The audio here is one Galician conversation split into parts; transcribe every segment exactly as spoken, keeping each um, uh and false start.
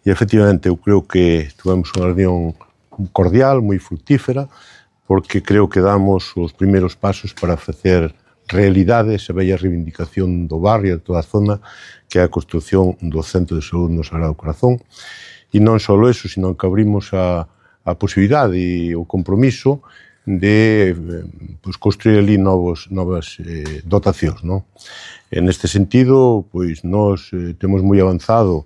E, efectivamente, eu creo que tivemos unha reunión cordial, moi fructífera, porque creo que damos os primeiros pasos para facer realidade esa bella reivindicación do barrio, de toda a zona, que é a construción do Centro de Saúde no Sagrado Corazón. E non só eso, sino que abrimos a, a posibilidade e o compromiso de pues, construir ali novos, novas eh, dotacións, non? En este sentido, pois, nós eh, temos moi avanzado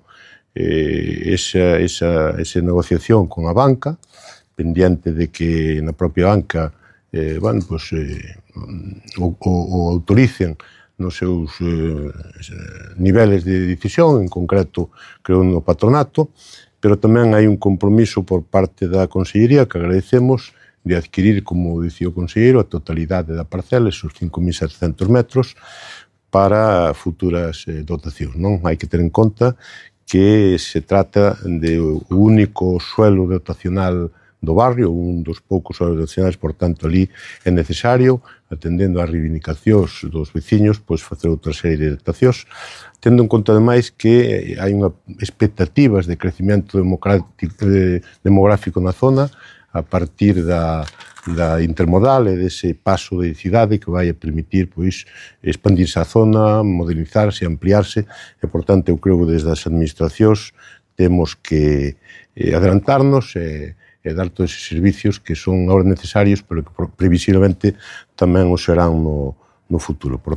eh, esa, esa, esa negociación con a banca, pendiente de que na propia banca eh, bueno, pues, eh, o, o, o autoricen nos seus eh, niveles de decisión, en concreto, creo, no patronato, pero tamén hai un compromiso por parte da Consellería que agradecemos de adquirir, como dicía o conselleiro, a totalidade da parcela, esos cinco mil setecentos metros, para futuras eh, dotacións, non? Hai que ter en conta que se trata de o único suelo dotacional do barrio, un dos poucos suelos dotacionais, por tanto, ali é necesario, atendendo ás reivindicacións dos veciños, pois facer outra serie de dotacións, tendo en conta, ademais, que hai unha expectativas de crecimiento demográfico na zona a partir da, da intermodal e dese paso de cidade que vai a permitir pois, expandirse a zona, modernizarse, ampliarse e, por tanto, eu creo que desde as administracións temos que eh, adelantarnos e, e dar todos esos servicios que son agora necesarios pero que previsiblemente tamén o serán no, no futuro. Por